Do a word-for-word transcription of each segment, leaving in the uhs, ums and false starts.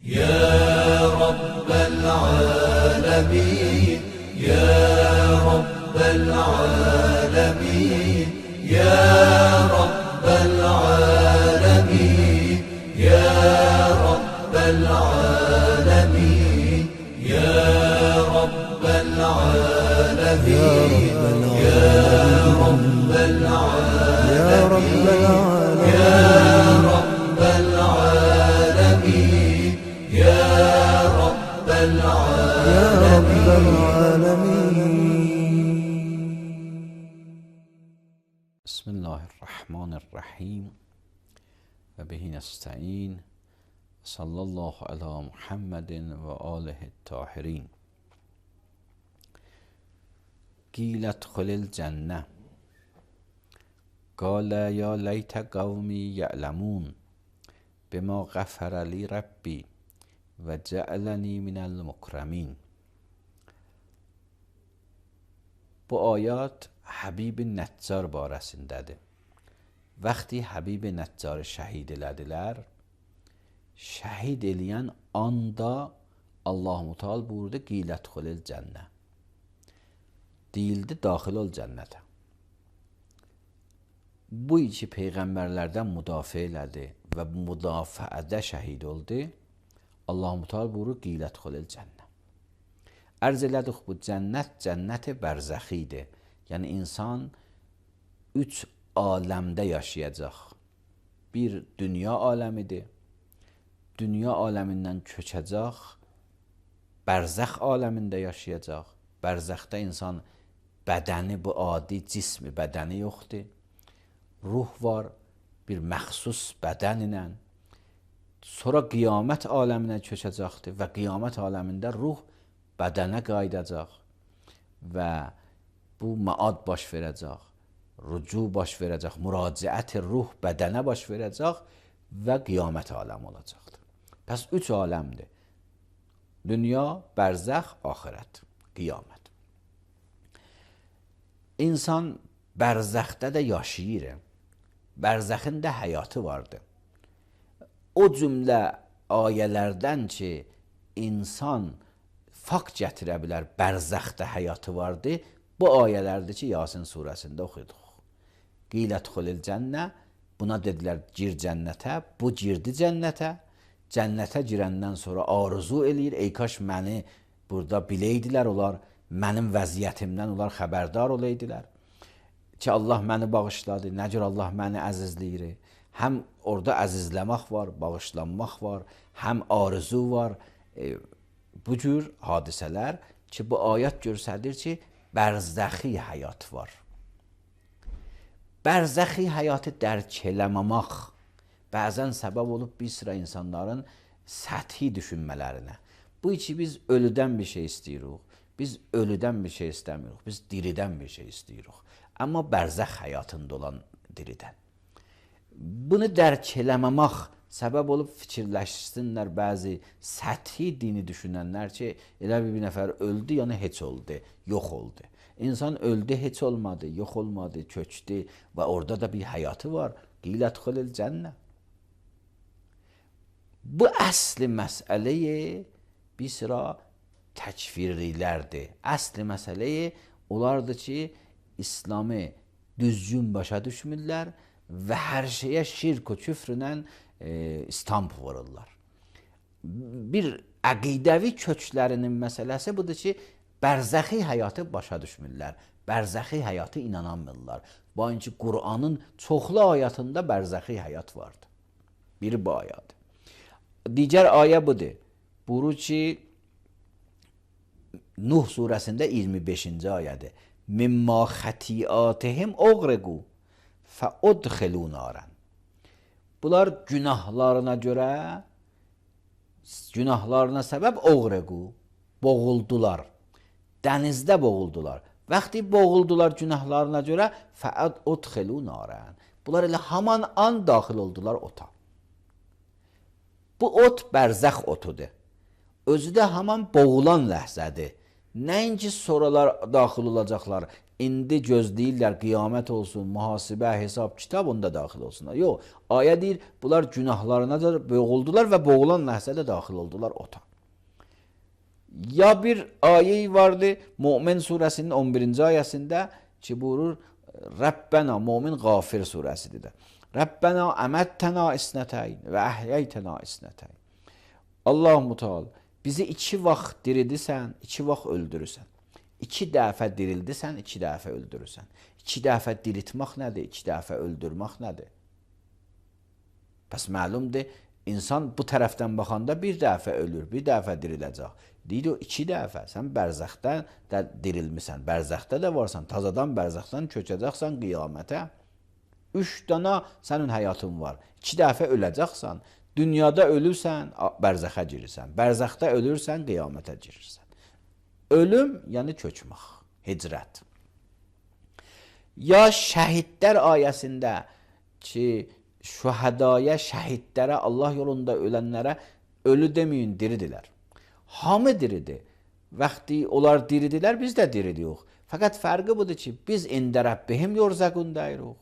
يا رب العالمين يا رب العالمين يا رب العالمين يا رب العالمين يا رب العالمين يا رب العالمين يا رب العالمين يا رب العالمين. بسم الله الرحمن الرحیم و به نستعین. صلی الله علی محمد و آله الطاهرین. قیل ادخل الجنه قال یا لیت قومی یعلمون بما غفر لی ربی و جعلنی من المکرمین. Bu ayat Habib Neccar barəsindədir. Vaxtı Habib Neccarı şəhid elədilər. Şəhid eləyən anda Allah-u Teala buyurdu qilət xulil cənnə. Deyildi daxil ol cənnətə. Bu iki peyğəmbərlərdən müdafiə elədi və müdafiədə şəhid oldu. Allah-u Teala buyurur qilət xulil cənnə. Ərz elədik bu cənnət cənnət-i bərzəxidir. Yəni insan üç aləmdə yaşayacaq. Bir dünya aləmidir. Dünya aləmindən köçəcək. Bərzəx aləmində yaşayacaq. Bərzəxdə insan bədəni, bu adi cismi bədəni yoxdur. Ruh var, bir məxsus bədən ilə. Sonra qiyamət aləminə köçəcəkdir və qiyamət aləmində ruh bədənə qayıdacaq və bu maad baş verəcək, rücu baş verəcək, müraciət ruh bədənə baş verəcək və qiyamət aləmi olacaqdır. Pəs üç aləmdir. Dünya, bərzəx, axirət, qiyamət. İnsan bərzəxdə də yaşayır. Bərzəxin də həyatı vardır. O cümlə ayələrdən ki, insan fakt gətirə bilər, bərzəxdə həyatı vardır. Bu ayələrdir ki, Yasin surəsində oxuduq. Qilət xulil cənnə, buna dedilər gir cənnətə, bu girdi cənnətə. Cənnətə girəndən sonra arzu eləyir, ey kaş məni burada biləydilər onlar, mənim vəziyyətimdən onlar xəbərdar olaydilər. Ki Allah məni bağışladı, nə cür Allah məni əzizləyir. Həm orada əzizləmək var, bağışlanmaq var, həm arzu var. E, bu cür hadisələr ki, bu ayət göstərir ki, bərzəxi həyat var. Bərzəxi həyatı dərk eləməmək bəzən səbəb olub bir sıra insanların səthi düşünmələrinə. Bu ki, biz ölüdən bir şey istəyirik, biz ölüdən bir şey istəmirik, biz diridən bir şey istəyirik. Amma bərzəx həyatında olan diridən. Bunu dərk eləməmək səbəb olub fikirləşsinlər bəzi səthi dini düşünənlər ki, elə bir nəfər öldü, yəni heç oldu, yox oldu. İnsan öldü, heç olmadı, yox olmadı, köçdü və orada da bir həyatı var. Qilət xulil cənnə. Bu əsli məsələyi bir sıra təkfirlilərdir. Əsli məsələyi onlardır ki, İslamı düzgün başa düşmürlər və hər şeyə şirk və küfrlə e, istamp vururlar. Bir əqidəvi köklərinin məsələsi budur ki, bərzəxi həyatı başa düşmürlər. Bərzəxi həyatı inanamırlar. Bu ki, Qur'anın çoxlu ayətində bərzəxi həyat vardır. Biri bu ayədir. Digər ayə budur. Buyurur ki, Nuh surəsində iyirmi beşinci ayədir. Mimma xətiatihim oğregu fəudxilu naran. Bunlar günahlarına görə, günahlarına səbəb oğregu, boğuldular. Dənizdə boğuldular. Vaxtı boğuldular günahlarına görə fəudxilu naran. Bunlar elə haman an daxil oldular ota. Bu ot bərzəx otudur. Özü də haman boğulan ləhzədir. Nəinki sonralar daxil olacaqlar. İndi gözləyirlər qiyamət olsun, mühasibə, hesab, kitab onda daxil olsunlar. Yox, ayə deyir, bunlar günahlarına da boğuldular və boğulan ləhzədə daxil oldular ota. Ya bir ayə vardı Mömin surəsinin on birinci ayəsində ki buyurur Rəbbənə, Mömin Qafir surəsidir də. Rəbbənə əməttənə isnətəyn və əhyəytənə isnətəyn. Allah-u Teala bizi iki vaxt diridirsən, iki vaxt öldürürsən. İki dəfə dirildirsən, iki dəfə öldürürsən. İki dəfə diriltmək nədir? İki dəfə öldürmək nədir? Bəs məlumdur, insan bu tərəfdən baxanda bir dəfə ölür, bir dəfə diriləcək. Deyir o iki dəfə, sən bərzəxdən də dirilmisən, bərzəxdə də varsan, tazadan bərzəxdən köçəcəksən qiyamətə. Üç dana sənin həyatın var, iki dəfə öləcəksən, dünyada ölürsən, bərzəxə girirsən, bərzəxdə ölürsən, qiyamətə girirsən. Ölüm, yəni köçmək, hicrət. Ya şəhidlər ayəsində ki, şühədaya, şəhidlərə, Allah yolunda ölənlərə ölü deməyin, diridirlər. Hamı diridir. Vaxtı onlar diridilər, biz də diridirik. Fəqət fərqi budur ki, biz ində Rəbbihim yorzaqundayırıq.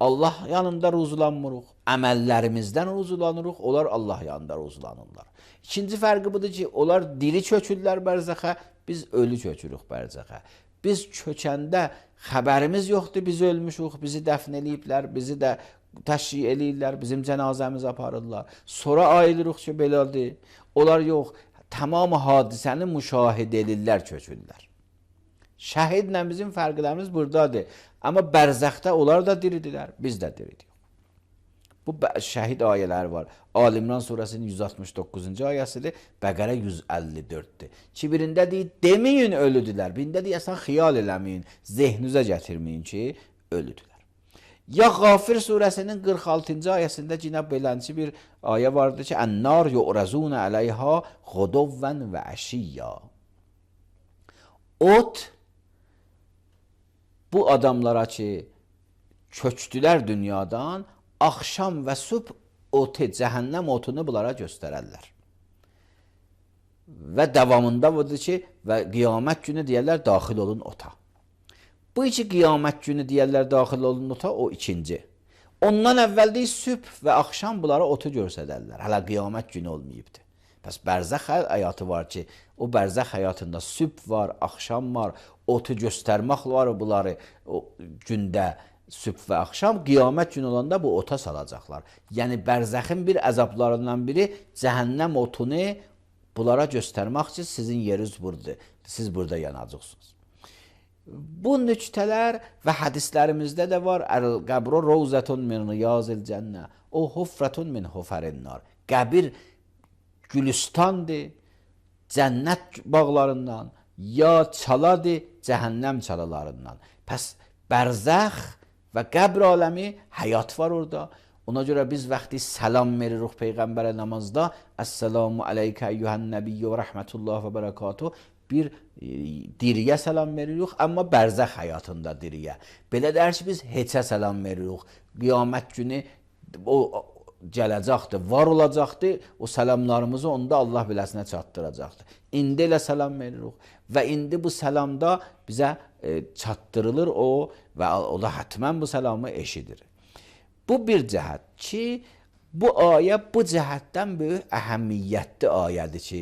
Allah yanında ruzulanmırıq. Əməllərimizdən ruzulanırıq, onlar Allah yanında ruzulanırlar. İkinci fərqi budur ki, onlar diri köçürlər bərzəxə, biz ölü köçürük bərzəxə. Biz köçəndə xəbərimiz yoxdur, biz ölmüşük, bizi dəfn eləyiblər, bizi də təşri eləyirlər, bizim cənazəmizi aparırlar. Sonra ayılırıq ki, belədir. Onlar yox, tamam hadisəni müşahidə edirlər, köçürlər. Şəhidlə bizim fərqlərimiz buradadır. Amma bərzəxdə onlar da diridilər, biz də diridik. Bu şəhid ayələri var. Ali-İmran surəsinin yüz altmış doqquzuncu ayəsidir, Bəqərə yüz əlli dörddir. Ki, birində deyir, deməyin ölüdülər. Birində deyir, əsən xiyal eləməyin, zehnünüzə gətirməyin ki, ölüdülər. Ya Qafir surəsinin qırx altıncı ayəsində yenə belənçi bir ayə vardır ki, Ən-nar yu'razuna əleyha ğuduvvən və əşiyya. Ot bu adamlara ki, köçdülər dünyadan, axşam və sübh otu, cəhənnəm otunu bunlara göstərərlər. Və davamında budur ki, və qiyamət günü deyərlər, daxil olun ota. Bu iki qiyamət günü deyərlər, daxil olun ota, o ikinci. Ondan əvvəl deyil, sübh və axşam bunlara otu göstərərlər. Hələ qiyamət günü olmayıbdır. Bəs bərzəx həyatı var ki, o bərzəx həyatında sübh var, axşam var, otu göstərmək var bunları o gündə, sübh və axşam, qiyamət günü olanda bu ota salacaqlar. Yəni bərzəxin bir əzablarından biri cəhənnəm otunu bunlara göstərmək ki, sizin yeriniz buradadır, siz burada yanacaqsınız. Bu nüktələr və hədislərimizdə də var. Əl-qəbru rovzətun min riyazil cənnə, o hufrətun min hufərinnar. Qəbir gülüstandır, cənnət bağlarından, ya çaladır, cəhənnəm çalalarından. Pəs bərzəx və qəbr aləmi həyat var orada. Ona görə biz vaxtı salam veririk Peyğəmbərə namazda. Əssəlamu aleykə eyyuhən nəbiyyə və rəhmətullah və bərəkatuhu. Bir e, diriyə salam veririk, amma bərzəx həyatında diriyə. Belə dər ki, biz heçə salam veririk. Qiyamət günü o gələcəkdir, var olacaqdır. O salamlarımızı onda Allah biləsinə çatdıracaqdır. İndi elə salam veririk. Və indi bu salamda bizə e, çatdırılır o və o da hətmən bu salamı eşidir. Bu bir cəhət ki, bu ayə bu cəhətdən böyük əhəmiyyətli ayədir ki,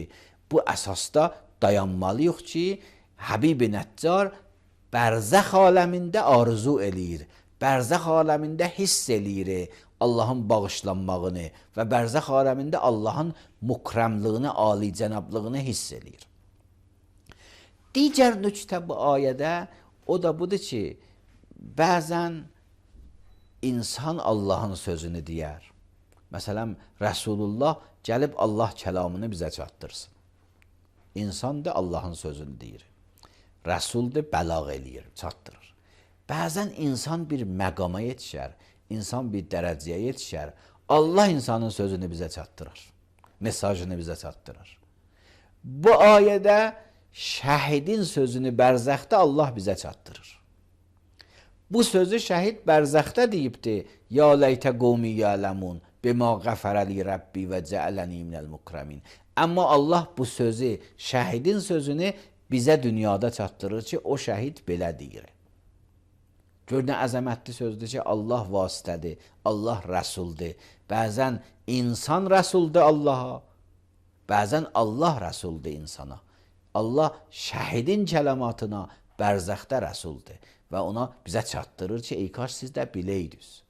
bu əsasda dayanmalıyıq ki, Həbib-i Nəccar bərzəx aləmində arzu eləyir, bərzəx aləmində hiss eləyir Allahın bağışlanmağını və bərzəx aləmində Allahın mukrəmlığını, alicənablığını hiss eləyir. Digər nüktə bu ayədə o da budur ki, bəzən insan Allahın sözünü deyər. Məsələn, Rəsulullah gəlib Allah kəlamını bizə çatdırsın. İnsan da Allahın sözünü deyir. Rəsul da bəlağ eləyir, çatdırır. Bəzən insan bir məqama yetişər, insan bir dərəcəyə yetişər. Allah insanın sözünü bizə çatdırır, mesajını bizə çatdırır. Bu ayədə şəhidin sözünü bərzəxdə Allah bizə çatdırır. Bu sözü şəhid bərzəxdə deyibdir. Ya ləytə qovmi yələmun bima qəfərəli Rəbbi və cəələni minəl mukrəmin. Amma Allah bu sözü, şəhidin sözünü bizə dünyada çatdırır ki, o şəhid belə deyir. Gör nə əzəmətli sözdür ki, Allah vasitədir, Allah rəsuldur. Bəzən insan rəsuldur Allaha, bəzən Allah rəsuldur insana. Allah şəhidin kəlamatına bərzəxdə rəsuldur və ona bizə çatdırır ki, ey kaş siz də biləydiniz.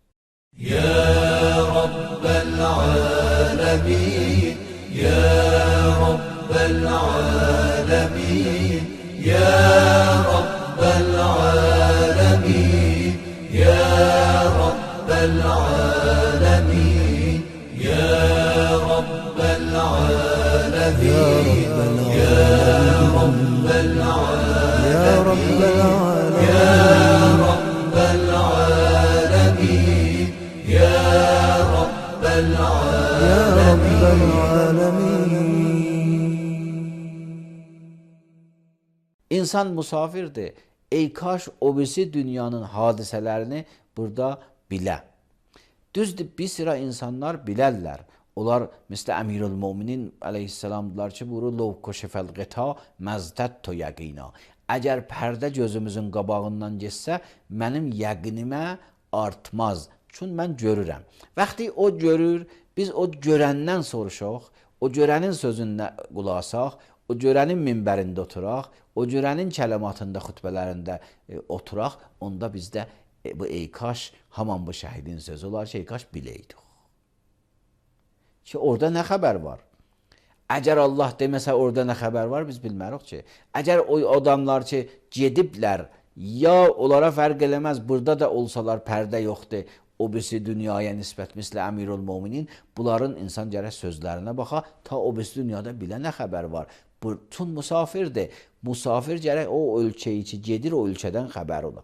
Ya Rabbel alemin, Ya Rabbel alemin, Ya Rabbel alemin, Ya Rabbel alemin, Ya Rabbel alemin, Ya Rabbel alemin, Ya Rabbel alemin, Ya Rabbel alemin, Ya Rabbel Ya Rabbel alemin. İnsan musafirdir. Ey kaş o birisi dünyanın hadisələrini burada bilə. Düzdür, bir sıra insanlar bilərlər. Onlar, mislə Əmirül Müminin əleyhissalamdılar ki, buyurur, Lov koşefəl qita məzdətto yəqina. Əgər pərdə gözümüzün qabağından geçsə, mənim yəqinimə artmaz. Çünki mən görürəm. Vaxtı o görür, biz o görəndən soruşaq, o görənin sözünə qulaq asaq, o görənin minbərində oturaq, o görənin kəlamatında, xütbələrində e, oturaq, onda bizdə e, bu ey kaş, haman bu şəhidin sözü olar ki, ey kaş biləydik. Ki, orada nə xəbər var? Əgər Allah deməsə orada nə xəbər var, biz bilmərik ki. Əgər o adamlar ki, gediblər, ya onlara fərq eləməz, burada da olsalar pərdə yoxdur, o birisi dünyaya nisbət, mislə Əmirül Müminin, bunların insan gərək sözlərinə baxa, ta o birisi dünyada bilə nə xəbər var. Çün musafirdir. Musafir gərək o ölkəyi ki, gedir o ölkədən xəbər ola.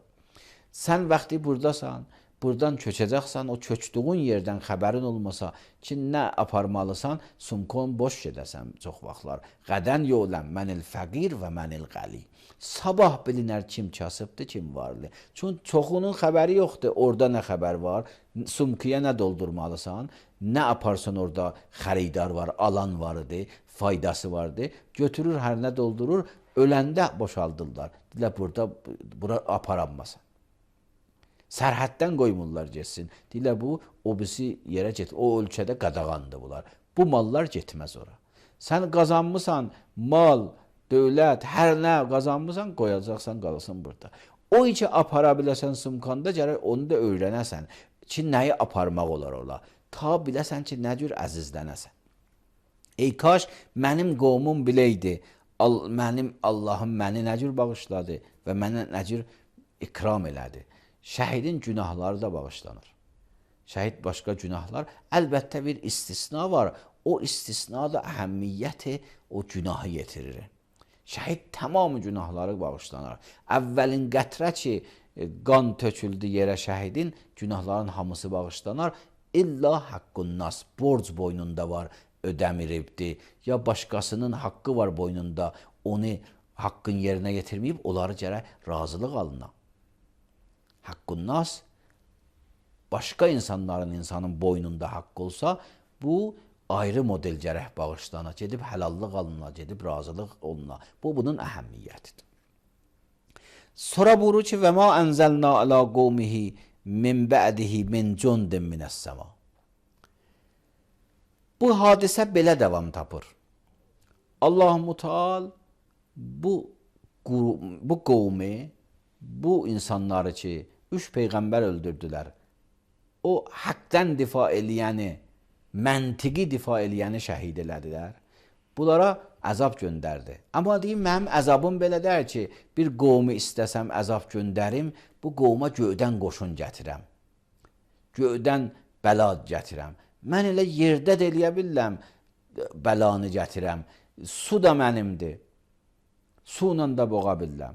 Sən vaxtı buradasan, buradan köçəcəksən, o köçdüğün yerdən xəbərin olmasa ki, nə aparmalısan, sumkon boş gedəsən çox vaxtlar. Qədən yoləm, mənil fəqir və mənil qəli. Sabah bilinər kim kasıbdır, kim varlı. Çünki çoxunun xəbəri yoxdur, orada nə xəbər var, sumkiyə nə doldurmalısan, nə aparsan orada xəridar var, alan vardı, faydası vardı, götürür, hər nə doldurur, öləndə boşaldırlar. Dilə burada, bura aparanmasın. Sərhəddən qoymurlar getsin. Dilə bu, o birisi yerə get, o ölkədə qadağandır bunlar. Bu mallar getməz ora. Sən qazanmısan, mal, dövlət, hər nə qazanmısan, qoyacaqsan, qalasın burada. O içi apara biləsən sumkanda, gərək onu da öyrənəsən ki, nəyi aparmaq olar ola. Ta biləsən ki, nə cür əzizlənəsən. Ey kaş, mənim qovmum biləydi, al, mənim Allahım məni nə cür bağışladı və mənə nə cür ikram elədi. Şəhidin günahları da bağışlanır. Şəhid başqa günahlar, əlbəttə bir istisna var. O istisna da əhəmmiyyəti o günahı yetirir. Şəhid tamamı günahları bağışlanır. Əvvəlin qətrə ki, qan töküldü yerə şəhidin, günahların hamısı bağışlanır. İlla haqqun nas, borc boynunda var, ödəmiribdir. Ya başqasının haqqı var boynunda, onu haqqın yerinə yetirməyib, onları gərək razılıq alına. Haqqun nas, başqa insanların insanın boynunda haqqı olsa, bu ayrı model gərək bağışlana, gedib həlallıq alına, gedib razılıq oluna. Bu, bunun əhəmmiyyətidir. Sonra buyurur ki, və ma ənzəlna alə qovmihi min bə'dihi min cundin minəs-səma. Bu hadisə belə davam tapır. Allah-u Teala bu, bu qovmi, bu insanları ki, üç peyğəmbər öldürdülər, o haqqdən difa eləyəni, məntiqi difa eləyəni şəhid elədilər. Bunlara əzab göndərdi. Amma deyim, mənim əzabım belə deyir ki, bir qovmu istəsəm əzab göndərim, bu qovma göydən qoşun gətirəm. Göydən bəla gətirəm. Mən elə yerdə də eləyə biləm, bəlanı gətirəm. Su da mənimdir. Su ilə də boğa biləm.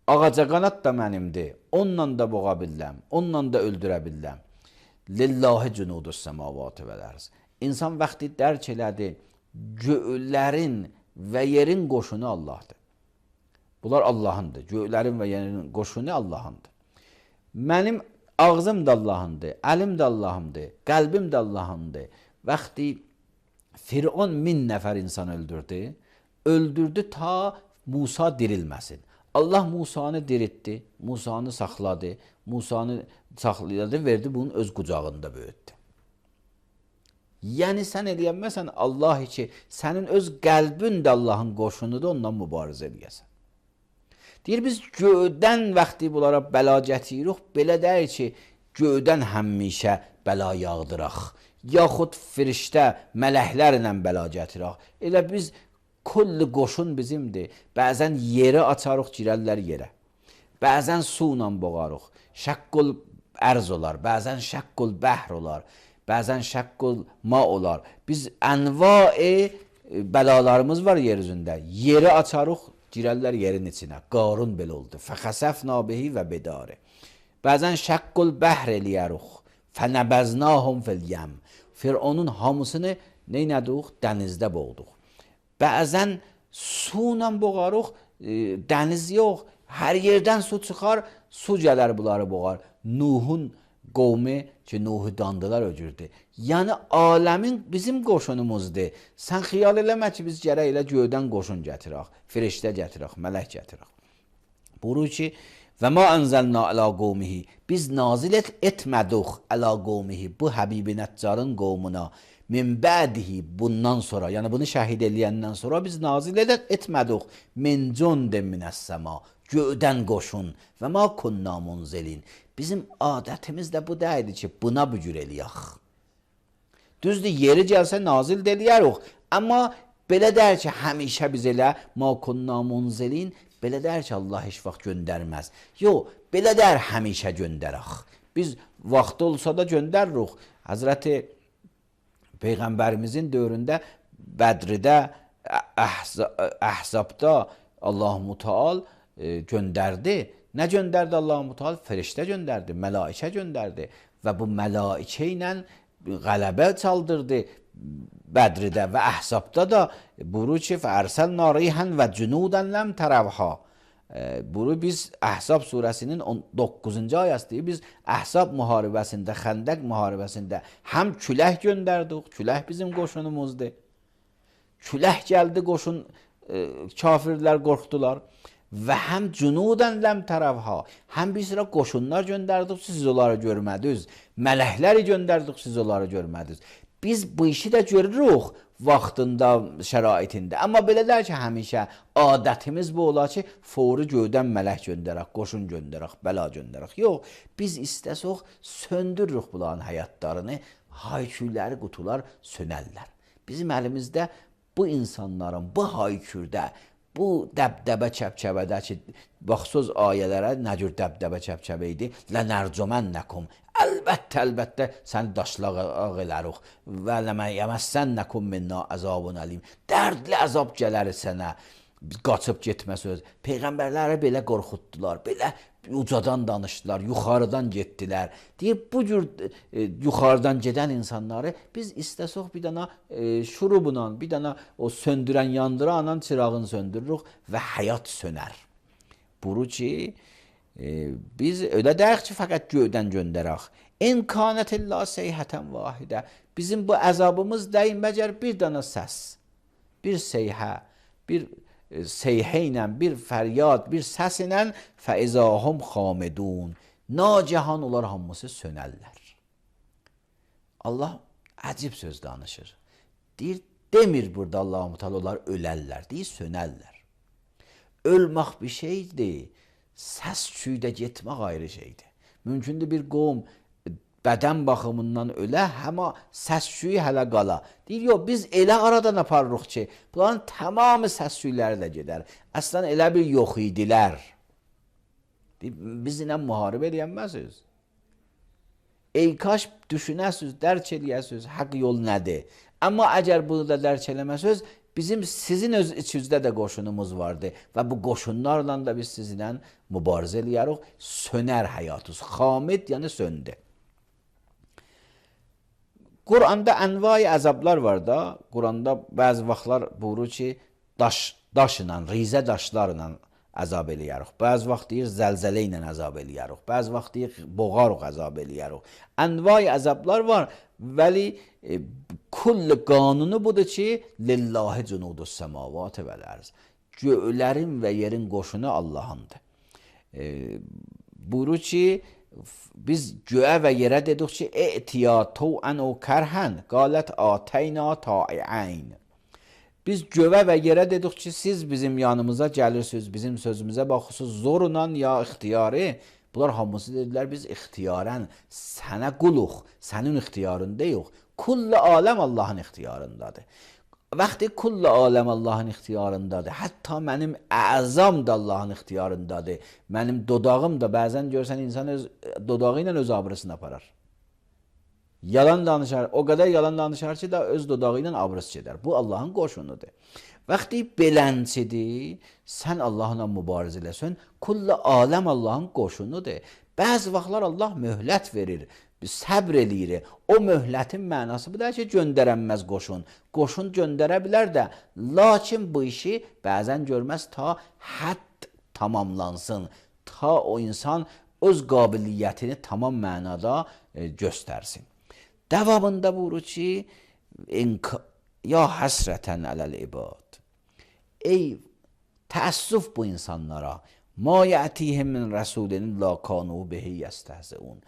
Ağaca qanat da mənimdir. Onunla da boğa biləm. Onunla da öldürə biləm. Lillahi cunudus semavati vel arz. İnsan vaxtı dərk elədi, göylərin və yerin qoşunu Allahdır. Bunlar Allahındır. Göylərin və yerin qoşunu Allahındır. Mənim ağzım da Allahındır, əlim də Allahımdır, qəlbim də Allahındır. Vaxtı Firon min nəfər insan öldürdü. öldürdü ta Musa dirilməsin. Allah Musanı diriltdi, Musanı saxladı, Musanı saxladı, verdi bunun öz qucağında böyütdü. Yəni sən eləyənməsən Allah ki, sənin öz qəlbin də Allahın qoşunudur, ondan mübarizə eləyəsən. Deyir, biz göydən vaxtı bunlara bəla gətiririk, belə deyir ki, göydən həmişə bəla yağdıraq, yaxud firiştə, mələklərlə bəla gətirək. Elə biz, kulli qoşun bizimdir, bəzən yeri açarıq, girərlər yerə, bəzən su ilə boğarıq, şəqqul ərz olar, bəzən şəqqul bəhr olar, bəzən şəqqul ma olar. Biz ənva-i bəlalarımız var yer üzündə. Yeri açarıq, girərlər yerin içinə. Qarun belə oldu. Fəxəsəfna bihi və bedari. Bəzən şəqqul bəhr eləyərik. Fənəbəznahum fil yəm. Fironun hamısını neynədik? Dənizdə boğduq. Bəzən su ilə boğarıq, dəniz yox. Hər yerdən su çıxar, su gələr bunları boğar. Nuhun qovmi ki, Nuhu dandılar öcürdü. Yəni aləmin bizim qoşunumuzdur. Sən xiyal eləmə ki, biz gərək elə göydən qoşun gətirək, firiştə gətirək, mələk gətirək. Buyurur ki, və ma ənzəlna əla qovmihi, biz nazil et, etmədik əla qovmihi, bu Həbibi Nəccarın qovmuna, min bədihi, bundan sonra, yəni bunu şəhid eləyəndən sonra biz nazil et, etmədik, min cündin minəs-səma, göydən qoşun və ma kunna munzilin. Bizim adətimiz də bu deyildi ki, buna bücür eləyək. Düzdür, yeri gəlsə nazil eləyərik. Amma belə deyir ki, həmişə biz elə ma kunna munzilin, belə deyir ki, Allah heç vaxt göndərməz. Yox, belə deyir həmişə göndərək. Biz vaxtı olsa da göndəririk. Həzrəti Peyğəmbərimizin dövründə Bədridə, Əhzabda Allah-u Teala göndərdi. Nə göndərdi Allah-u Teala? Firiştə göndərdi, mələikə göndərdi və bu mələikə ilə qələbə çaldırdı Bədridə və Əhzabda da buyurur ki, fəərsəlnə rihən və cünudən ləm tərəvhə. Buyurur, biz Əhzab surəsinin doqquzuncu ayəsidir. Biz Əhzab müharibəsində, Xəndəq müharibəsində həm külək göndərdik, külək bizim qoşunumuzdur. Külək gəldi, qoşun, kafirlər qorxdular. Və həm cünudən ləm tərəvhə, həm bir sıra qoşunlar göndərdik, siz onları görmədiniz. Mələkləri göndərdik, siz onları görmədiniz. Biz bu işi də görürük vaxtında, şəraitində. Amma belə deyir ki, həmişə adətimiz bu olar ki, fori göydən mələk göndərək, qoşun göndərək, bəla göndərək. Yox, biz istəsək söndürürük bunların həyatlarını, hayküyləri, qutular sönərlər. Bizim əlimizdə bu insanların bu haykürdə, bu dəbdəbə çəpçəbədə ki, baxsız ayələrə nə cür dəbdəbə çəpçəbə idi? Lənərcumənəkum. Əlbəttə, əlbəttə səni daşlaq elərik. Və ləməyyəməssənnəkum minna əzabun əlim. Dərdli əzab gələr sənə. Qaçıb getmə söz. Peyğəmbərləri belə qorxutdular, belə ucadan danışdılar, yuxarıdan getdilər. Deyir, bu cür e, yuxarıdan gedən insanları biz istəsək bir dana e, şurubla, bir dana o söndürən, yandıranla çırağını söndürürük və həyat sönər. Buyurur ki, e, biz öyle deyək ki, fəqət göydən göndərək. İn kanətillah seyhətən vahidə. Bizim bu əzabımız deyin məcər bir dana səs, bir seyhə, bir seyhə ilə, bir fəryad, bir səs ilə fəizahum xamidun. Nacahan onlar hamısı sönərlər. Allah əcib söz danışır. Deyir, demir burada Allah-u Teala onlar ölərlər, deyir, sönərlər. Ölmək bir şeydir, səs-küydə getmək ayrı şeydir. Mümkündür bir qovm bədən baxımından ölə, həma səs-küyü hələ qala. Deyir, yox, biz elə aradan aparırıq ki, bunların tamamı səs-küyləri də gedər. Əslən elə bir yox idilər. Deyir, biz ilə müharibə eləyənməsiz. Ey kaş düşünəsiz, dərk eləyəsiz, haqq yol nədir? Amma əgər bunu da dərk eləməsiz, bizim sizin öz içinizdə də qoşunumuz vardı və bu qoşunlarla da biz sizinlə mübarizə eləyərik, sönər həyatınız. Xamid, yəni söndü. Quranda ənvai əzablar var da, Quranda bəzi vaxtlar buyurur ki, daş, daşla, rizə daşlarla əzab eləyərik. Bəzi vaxt deyir zəlzələ ilə əzab eləyərik. Bəzi vaxt deyir boğarıq əzab eləyərik. Ənvay əzablar var. Vəli e, kull qanunu budur ki, lillahi cunudus semavat vəl ərz. Göylərin və yerin qoşunu Allahındır. E, buyurur ki, biz göyə və yerə dedik ki, e'tiya tav'an o kərhən, qalət ateyna ta'i'ayn. Biz göyə və yerə dedik ki, siz bizim yanımıza gəlirsiniz, bizim sözümüzə baxırsınız, zorla ya ixtiyari. Bunlar hamısı dedilər, biz ixtiyarən sənə quluq, sənin ixtiyarında yox. Kulli aləm Allahın ixtiyarındadır. Vaxtı kulli aləm Allahın ixtiyarındadır. Hətta mənim əzam da Allahın ixtiyarındadır. Mənim dodağım da bəzən görsən insan öz dodağı ilə öz abrısını aparar. Yalan danışar, o qədər yalan danışar ki, da öz dodağı ilə abrıs gedər. Bu Allahın qoşunudur. Vaxtı belənçidir, sən Allahla mübarizə eləsən, kulli aləm Allahın qoşunudur. Bəzi vaxtlar Allah möhlət verir, səbr eləyir. O möhlətin mənası bu da ki, göndərənməz qoşun. Qoşun göndərə bilər də, lakin bu işi bəzən görməz ta hədd tamamlansın, ta o insan öz qabiliyyətini tamam mənada e, göstərsin. Davamında buyurur ki, ya həsrətən ələl ibad. Ey təəssüf bu insanlara. Ma yətihim min rəsulinin la kanu bihi yəstəhzəun.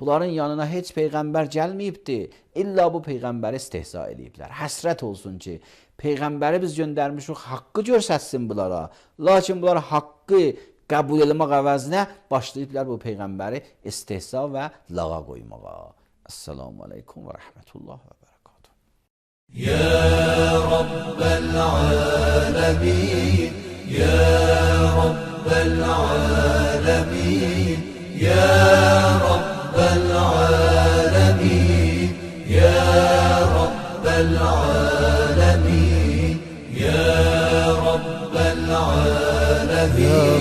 Bunların yanına heç peyğəmbər gəlməyibdi. İlla bu peyğəmbəri istehza ediblər. Həsrət olsun ki, peyğəmbəri biz göndərmişik, haqqı görsətsin bunlara. Lakin bunlar haqqı qəbul eləmək əvəzinə başlayıblar bu peyğəmbəri istehza və lağa qoymağa. Esselamu aleyküm və rəhmətullah və bərəkatuhu. Ya Rabbel alemin, Ya Rabbel alemin, Ya Rabbel alemin, Ya Rabbel alemin, Ya Rabbel alemin.